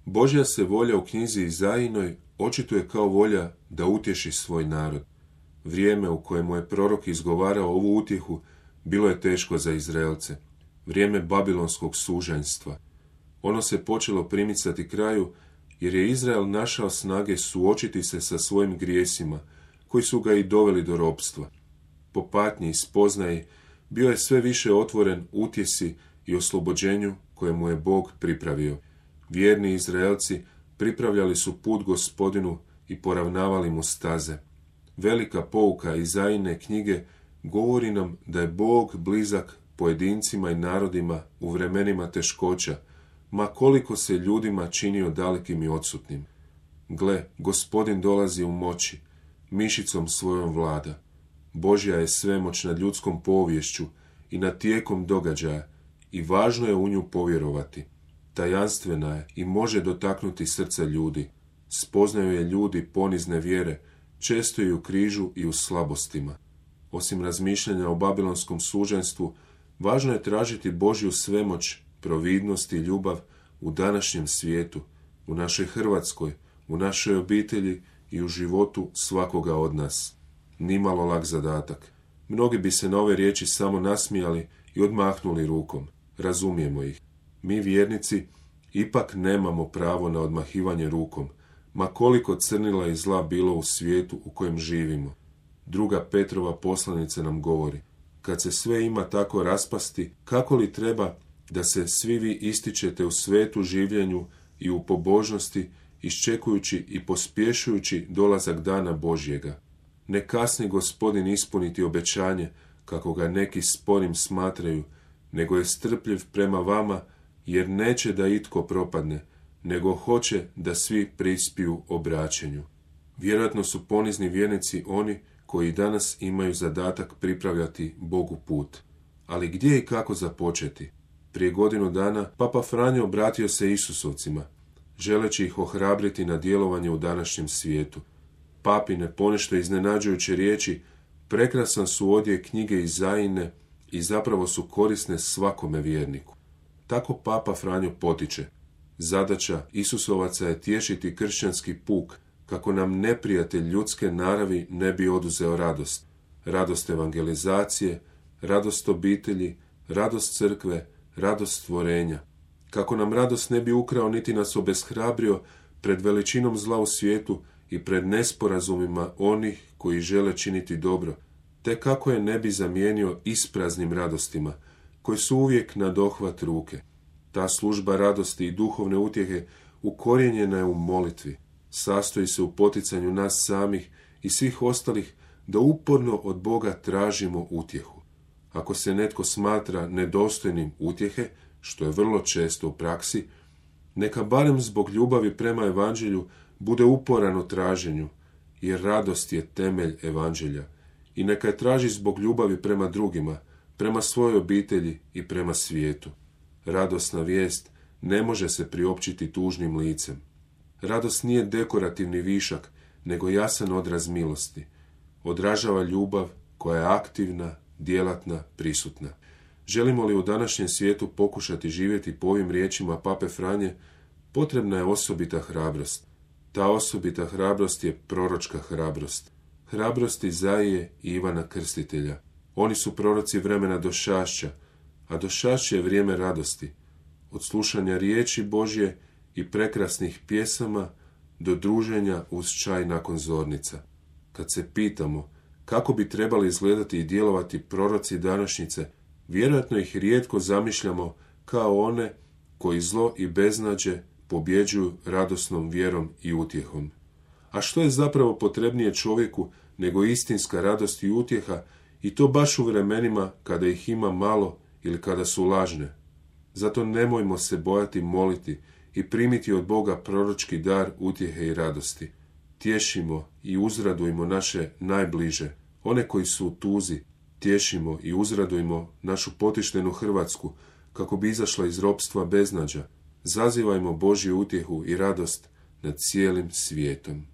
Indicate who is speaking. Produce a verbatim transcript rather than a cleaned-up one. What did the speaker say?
Speaker 1: Božja se volja u knjizi Izajinoj očituje kao volja da utješi svoj narod. Vrijeme u kojemu je prorok izgovarao ovu utjehu bilo je teško za Izraelce. Vrijeme babilonskog sužanjstva. Ono se počelo primicati kraju jer je Izrael našao snage suočiti se sa svojim grijesima, koji su ga i doveli do ropstva. Po patnji i spoznaji bio je sve više otvoren utjesi i oslobođenju koje mu je Bog pripravio. Vjerni Izraelci pripravljali su put Gospodinu i poravnavali mu staze. Velika pouka Izajine knjige govori nam da je Bog blizak pojedincima i narodima u vremenima teškoća, ma koliko se ljudima činio dalekim i odsutnim. Gle, Gospodin dolazi u moći, mišicom svojom vlada. Božja je svemoć nad ljudskom poviješću i nad tijekom događaja i važno je u nju povjerovati. Tajanstvena je i može dotaknuti srca ljudi. Spoznaju je ljudi ponizne vjere, često i u križu i u slabostima. Osim razmišljanja o babilonskom suženstvu, važno je tražiti Božju svemoć, providnost i ljubav u današnjem svijetu, u našoj Hrvatskoj, u našoj obitelji i u životu svakoga od nas. Nimalo lak zadatak. Mnogi bi se na ove riječi samo nasmijali i odmahnuli rukom. Razumijemo ih. Mi vjernici ipak nemamo pravo na odmahivanje rukom, ma koliko crnila i zla bilo u svijetu u kojem živimo. Druga Petrova poslanica nam govori: kad se sve ima tako raspasti, kako li treba da se svi vi ističete u svetu življenju i u pobožnosti, iščekujući i pospješujući dolazak dana Božjega. Ne kasni Gospodin ispuniti obećanje, kako ga neki sporim smatraju, nego je strpljiv prema vama, jer neće da itko propadne, nego hoće da svi prispiju obraćenju. Vjerojatno su ponizni vjernici oni koji danas imaju zadatak pripravljati Bogu put. Ali gdje i kako započeti? Prije godinu dana Papa Franjo obratio se Isusovcima, želeći ih ohrabriti na djelovanje u današnjem svijetu. Papine ponešto iznenađujuće riječi prekrasan su odjek knjige Izajine i zapravo su korisne svakome vjerniku. Tako Papa Franjo potiče: zadaća Isusovaca je tješiti kršćanski puk, kako nam neprijatelj ljudske naravi ne bi oduzeo radost. Radost evangelizacije, radost obitelji, radost crkve, radost stvorenja. Kako nam radost ne bi ukrao niti nas obeshrabrio pred veličinom zla u svijetu i pred nesporazumima onih koji žele činiti dobro, te kako je ne bi zamijenio ispraznim radostima, koji su uvijek na dohvat ruke. Ta služba radosti i duhovne utjehe ukorijenjena je u molitvi. Sastoji se u poticanju nas samih i svih ostalih da uporno od Boga tražimo utjehu. Ako se netko smatra nedostojnim utjehe, što je vrlo često u praksi, neka barem zbog ljubavi prema evanđelju bude uporan u traženju, jer radost je temelj evanđelja, i neka je traži zbog ljubavi prema drugima, prema svojoj obitelji i prema svijetu. Radosna vijest ne može se priopćiti tužnim licem. Radost nije dekorativni višak, nego jasan odraz milosti. Odražava ljubav koja je aktivna, djelatna, prisutna. Želimo li u današnjem svijetu pokušati živjeti po ovim riječima Pape Franje, potrebna je osobita hrabrost. Ta osobita hrabrost je proročka hrabrost. Hrabrost Izaije i Ivana Krstitelja. Oni su proroci vremena došašća, a došašće je vrijeme radosti. Od slušanja riječi Božje i prekrasnih pjesama do druženja uz čaj nakon zornica. Kad se pitamo kako bi trebali izgledati i djelovati proroci današnjice, vjerojatno ih rijetko zamišljamo kao one koji zlo i beznađe pobjeđuju radosnom vjerom i utjehom. A što je zapravo potrebnije čovjeku nego istinska radost i utjeha, i to baš u vremenima kada ih ima malo ili kada su lažne? Zato nemojmo se bojati moliti i primiti od Boga proročki dar utjehe i radosti. Tješimo i uzradujmo naše najbliže, one koji su u tuzi. Tješimo i uzradujmo našu potištenu Hrvatsku, kako bi izašla iz ropstva beznađa. Zazivajmo Božju utjehu i radost nad cijelim svijetom.